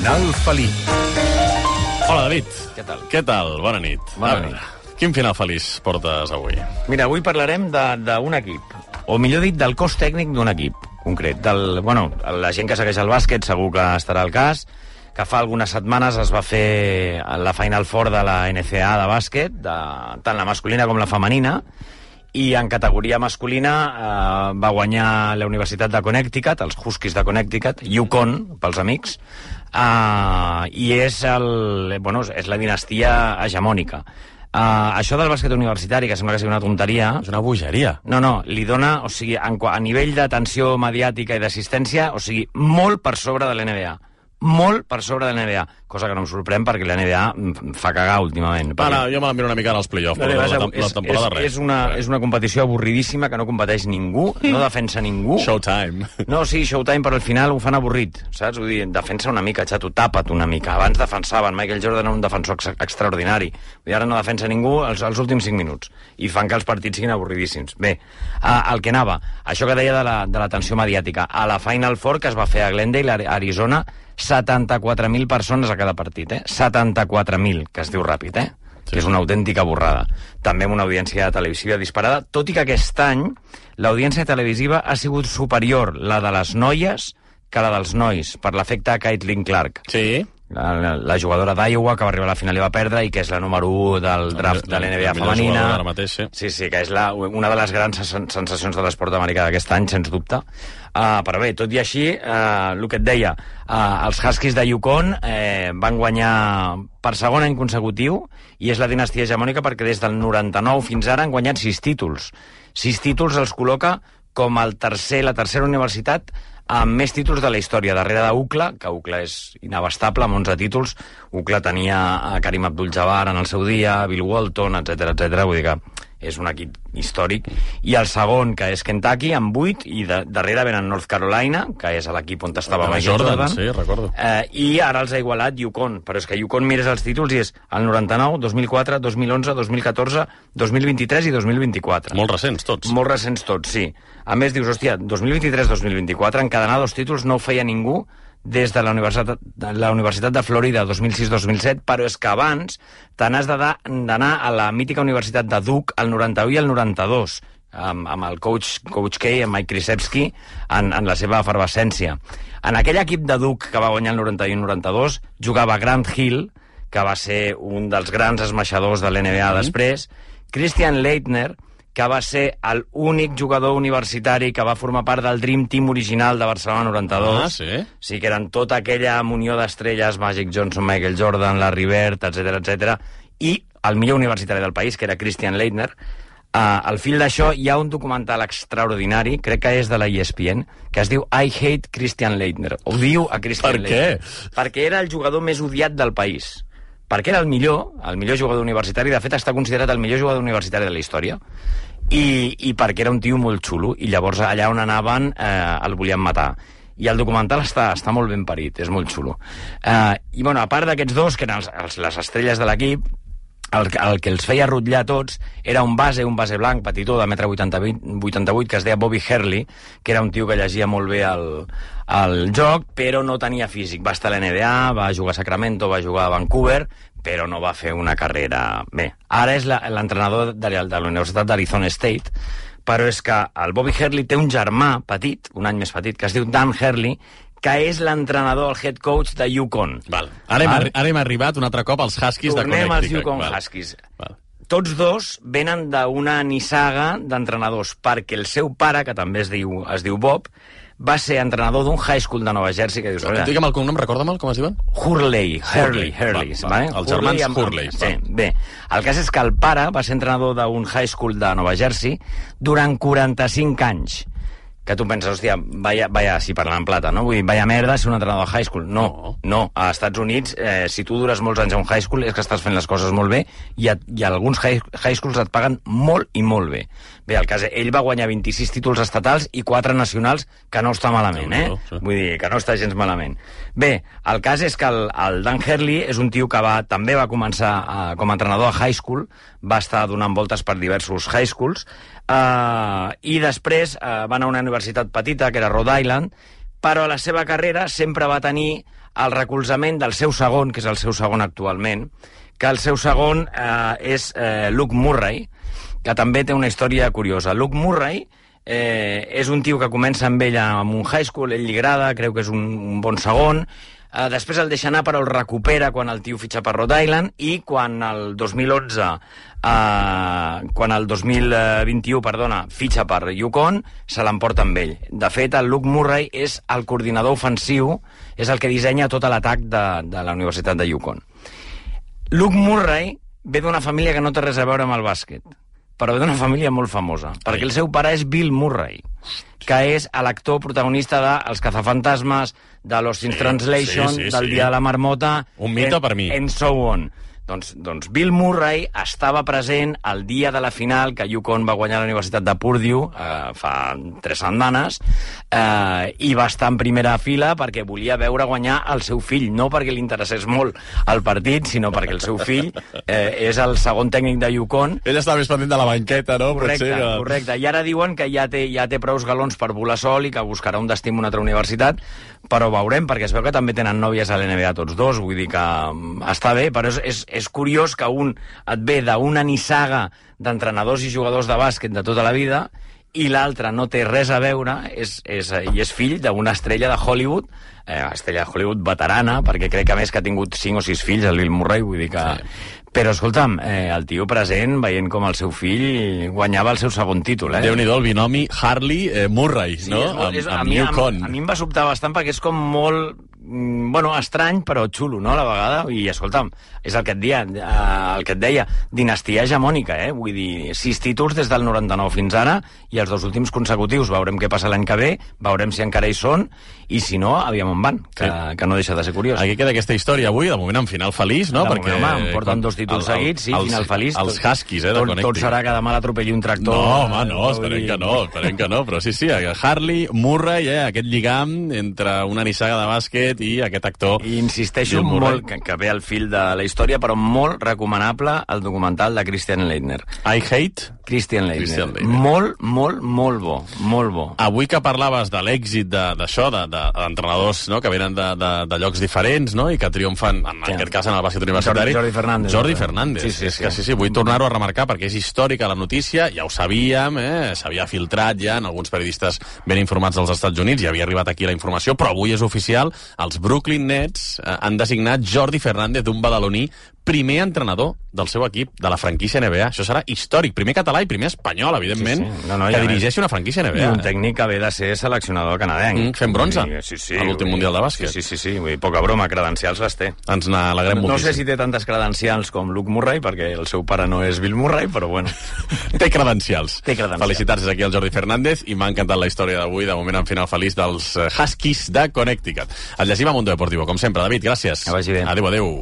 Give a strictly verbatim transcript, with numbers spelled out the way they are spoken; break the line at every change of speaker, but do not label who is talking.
Final feliç.
Hola, David.
Què tal?
Què tal? Bona nit.
Bona
A veure,
nit.
Quin final feliç portes avui?
Mira, avui parlarem d'un equip, o millor dit, del cos tècnic d'un equip concret. Del, bueno, la gent que segueix el bàsquet segur que estarà al cas, que fa algunes setmanes es va fer la Final Four de la N C A A de bàsquet, de, tant la masculina com la femenina, i en categoria masculina eh, va guanyar la Universitat de Connecticut, els Huskies de Connecticut, Yukon, pels amics, eh, i és, el, bueno, és la dinastia hegemònica. Uh, això del bàsquet universitari, que sembla que sigui una tonteria...
És una bogeria.
No, no, li dona, o sigui, en, a nivell d'atenció mediàtica i d'assistència, o sigui, molt per sobre de l'N B A. Molt per sobre de l'N B A, cosa que no em sorprèn perquè l'N B A fa cagar últimament.
Perquè... Ara, jo me la miro una mica en els play-offs, però la, la, la temporada
és,
res.
És una, és una competició avorridíssima que no competeix ningú, no defensa ningú.
Showtime.
No, sí, Showtime, però al final ho fan avorrit, saps? Vull dir, defensa una mica, xato, tapa't una mica. Abans defensaven, Michael Jordan era un defensor ex extraordinari. Vull dir, ara no defensa ningú els, els últims cinc minuts. I fan que els partits siguin avorridíssims. Bé, el que anava, això que deia de la, de l'atenció mediàtica. A la Final Four, que es va fer a Glendale, Arizona, setanta-quatre mil persones a cada partit, eh? setanta-quatre mil, que es diu ràpid, eh? Sí. Que és una autèntica borrada. També amb una audiència televisiva disparada, tot i que aquest any l'audiència televisiva ha sigut superior, la de les noies, que la dels nois, per l'efecte Caitlin Clark.
Sí.
La, la, la jugadora d'Iowa, que va arribar a la final i va perdre, i que és la número u del draft de l'N B A femenina.
Ara mateix, sí.
Sí, sí, que és la, una de les grans sensacions de l'esport americà d'aquest any, sens dubte. Uh, però bé, tot i així, uh, el que et deia, uh, els Huskies de Yukon eh, van guanyar per segon any consecutiu, i és la dinastia hegemònica perquè des del noranta-nou fins ara han guanyat sis títols. Sis títols els col·loca com el tercer, la tercera universitat amb més títols de la història, darrere d'U C L A, que U C L A és inabastable, amb onze títols. U C L A tenia a Karim Abdul-Jabbar en el seu dia, Bill Walton, etcètera, etcètera. Vull dir que és un equip històric. I el segon, que és Kentucky, amb vuit, i de, darrere venen North Carolina, que és l'equip on estava Michael Jordan.
Jordan. Sí, recordo.
Eh, I ara els ha igualat Yukon, però és que Yukon mires els títols i és el noranta-nou, dos mil quatre, dos mil onze, dos mil catorze, dos mil vint-i-tres i dos mil vint-i-quatre.
Molt recents, tots.
Molt recents tots, sí. A més, dius, hòstia, dos mil vint-i-tres dos mil vint-i-quatre, encadenar dos títols no ho feia ningú des de la Universitat, de la Universitat de Florida dos mil sis dos mil set, però és que abans te n'has d'anar a la mítica Universitat de Duke el noranta-u i el noranta-dos, amb, amb el coach, coach K, amb Mike Krzyzewski, en, en la seva efervescència. En aquell equip de Duke que va guanyar el noranta-u i el noranta-dos jugava Grant Hill, que va ser un dels grans esmaixadors de l'N B A mm. després, Christian Leitner, que va ser l'únic jugador universitari que va formar part del Dream Team original de Barcelona noranta-dos.
Ah, sí?
Sí, que eren tota aquella munió d'estrelles, Magic Johnson, Michael Jordan, Larry Bird, etcètera, etcètera, i el millor universitari del país, que era Christian Leitner. Uh, al fil d'això hi ha un documental extraordinari, crec que és de la E S P N, que es diu I Hate Christian Leitner. Odio a Christian
per
Leitner.
Per què?
Perquè era el jugador més odiat del país. Perquè era el millor, el millor jugador universitari, de fet està considerat el millor jugador universitari de la història, i, i perquè era un tio molt xulo, i llavors allà on anaven eh, el volien matar. I el documental està, està molt ben parit, és molt xulo. Eh, I bueno, a part d'aquests dos, que eren els, els, les estrelles de l'equip, el, el que els feia rotllar tots era un base, un base blanc, petitó, de metre vuitanta-vuit, que es deia Bobby Hurley, que era un tio que llegia molt bé el, el joc, però no tenia físic. Va estar a l'N B A, va jugar a Sacramento, va jugar a Vancouver, però no va fer una carrera... Bé, ara és l'entrenador de, de la Universitat d'Arizona State, però és que el Bobby Hurley té un germà petit, un any més petit, que es diu Dan Hurley, que és l'entrenador, el head coach de Yukon.
Val. Ara, hem, ara hem arribat un altre cop als Huskies de Connecticut.
Tornem als Yukon Val. Huskies. Val. Tots dos venen d'una nissaga d'entrenadors, perquè el seu pare, que també es diu, es diu Bob, va ser entrenador d'un high school de Nova Jersey, que dius...
Digue'm el cognom, recorda'm com es diuen?
Hurley, Hurley, Hurley.
Va, va. Els germans Hurley.
Sí, bé. El cas és que el pare va ser entrenador d'un high school de Nova Jersey durant quaranta-cinc anys. Que tu penses, hòstia, vaya, vaya, si parlant en plata, no? Vull dir, vaya merda ser un entrenador de high school. No, no. no. A Estats Units, eh, si tu dures molts anys a un high school és que estàs fent les coses molt bé i, a, i alguns high, high schools et paguen molt i molt bé. Bé, el cas, ell va guanyar vint-i-sis títols estatals i quatre nacionals, que no està malament, eh? Sí. Vull dir, que no està gens malament. Bé, el cas és que el, el Dan Hurley és un tio que va, també va començar a, com a entrenador a high school, va estar donant voltes per diversos high schools, uh, i després uh, va anar a una universitat petita, que era Rhode Island, però a la seva carrera sempre va tenir el recolzament del seu segon, que és el seu segon actualment, que el seu segon eh, és eh, Luke Murray, que també té una història curiosa. Luke Murray eh, és un tio que comença amb ell en un high school, ell li agrada, creu que és un, un bon segon, eh, després el deixa anar però el recupera quan el tio fitxa per Rhode Island, i quan el dos mil onze, eh, quan el dos mil vint-i-u, perdona, fitxa per Yukon, se l'emporta amb ell. De fet, el Luke Murray és el coordinador ofensiu, és el que dissenya tot l'atac de, de la Universitat de Yukon. Luke Murray ve d'una família que no té res a veure amb el bàsquet, però ve d'una família molt famosa, perquè el seu pare és Bill Murray, que és l'actor protagonista de Els cazafantasmes, de Lost in
sí,
Translation,
sí, sí,
del
sí.
Dia de la Marmota...
Un mite per mi.
And so on. Doncs, doncs Bill Murray estava present el dia de la final que Yukon va guanyar la Universitat de Purdue eh, fa tres setmanes eh, i va estar en primera fila perquè volia veure guanyar el seu fill, no perquè li interessés molt el partit, sinó perquè el seu fill eh, és el segon tècnic de Yukon.
Ell està més pendent de la banqueta, no?
Correcte,
Potser que...
correcte. I ara diuen que ja té, ja té prous galons per volar sol i que buscarà un destí en una altra universitat, però veurem, perquè es veu que també tenen nòvies a l'N B A tots dos, vull dir que um, està bé, però és, és, és curiós que un et ve d'una nissaga d'entrenadors i jugadors de bàsquet de tota la vida i l'altre no té res a veure, és, és, i és fill d'una estrella de Hollywood, eh, estrella de Hollywood veterana, perquè crec que a més que ha tingut cinc o sis fills, el Bill Murray, vull dir que... Sí. Però, escolta'm, eh, el tio present, veient com el seu fill guanyava el seu segon títol, eh?
Déu-n'hi-do, el binomi Harley-Murray, eh, no?
Sí, és, és,
amb,
a,
amb
mi,
Yukon.
a, a mi em va sobtar bastant perquè és com molt... bueno, estrany, però xulo, no?, a la vegada. I, escolta'm, és el que et deia, el que et deia, dinastia hegemònica, eh? Vull dir, sis títols des del noranta-nou fins ara, i els dos últims consecutius. Veurem què passa l'any que ve, veurem si encara hi són, i si no, aviam on van, que, sí. que no deixa de ser curiós.
Aquí queda aquesta història avui, de moment en final feliç, no?
De
Perquè
moment, home, porten dos títols el, el, seguits, sí,
els,
final feliç.
Els Huskies, eh, de
tot,
Connecticut.
Tot serà que demà l'atropelli un tractor.
No, home, no, esperem que no, esperem que no, però sí, sí, Harley, Murray, eh, aquest lligam entre una nissaga de bàsquet i aquest actor.
I insisteixo molt que, que ve al fil de la història, però molt recomanable el documental de Christian Leitner.
I Hate?
Christian Leitner. Christian Leitner. Molt, molt, molt bo, molt bo.
Avui que parlaves de l'èxit d'això, d'entrenadors no? que venen de, de, de llocs diferents, no? I que triomfen, en sí. aquest cas en el bàsquet universitari.
Jordi Fernández.
Jordi Fernández.
Sí, sí, sí.
Que, sí, sí, vull tornar-ho a remarcar perquè és històrica la notícia, ja ho sabíem, eh? S'havia filtrat ja en alguns periodistes ben informats dels Estats Units, ja havia arribat aquí la informació, però avui és oficial, els Brooklyn Nets eh, han designat Jordi Fernández, d'un badaloní, primer entrenador del seu equip, de la franquícia N B A. Això serà històric. Primer català i primer espanyol, evidentment, sí, sí. No, no, que dirigeixi una franquícia N B A.
I un tècnic que ve de ser seleccionador canadenc.
Mm, fent bronze
sí, sí,
a l'últim Mundial de Bàsquet.
Sí, sí, sí, sí. Poca broma, credencials les té.
Ens n'alegrem
no,
moltíssim.
No sé si té tantes credencials com Luke Murray, perquè el seu pare no és Bill Murray, però bueno.
té credencials.
Té credencials.
Felicitats aquí al Jordi Fernández i m'ha encantat la història d'avui, de moment en final feliç dels Huskies de Connecticut. Et llegim a Mundo Deportivo, com sempre. David, gràcies.
Que vagi bé.
Adéu, adéu.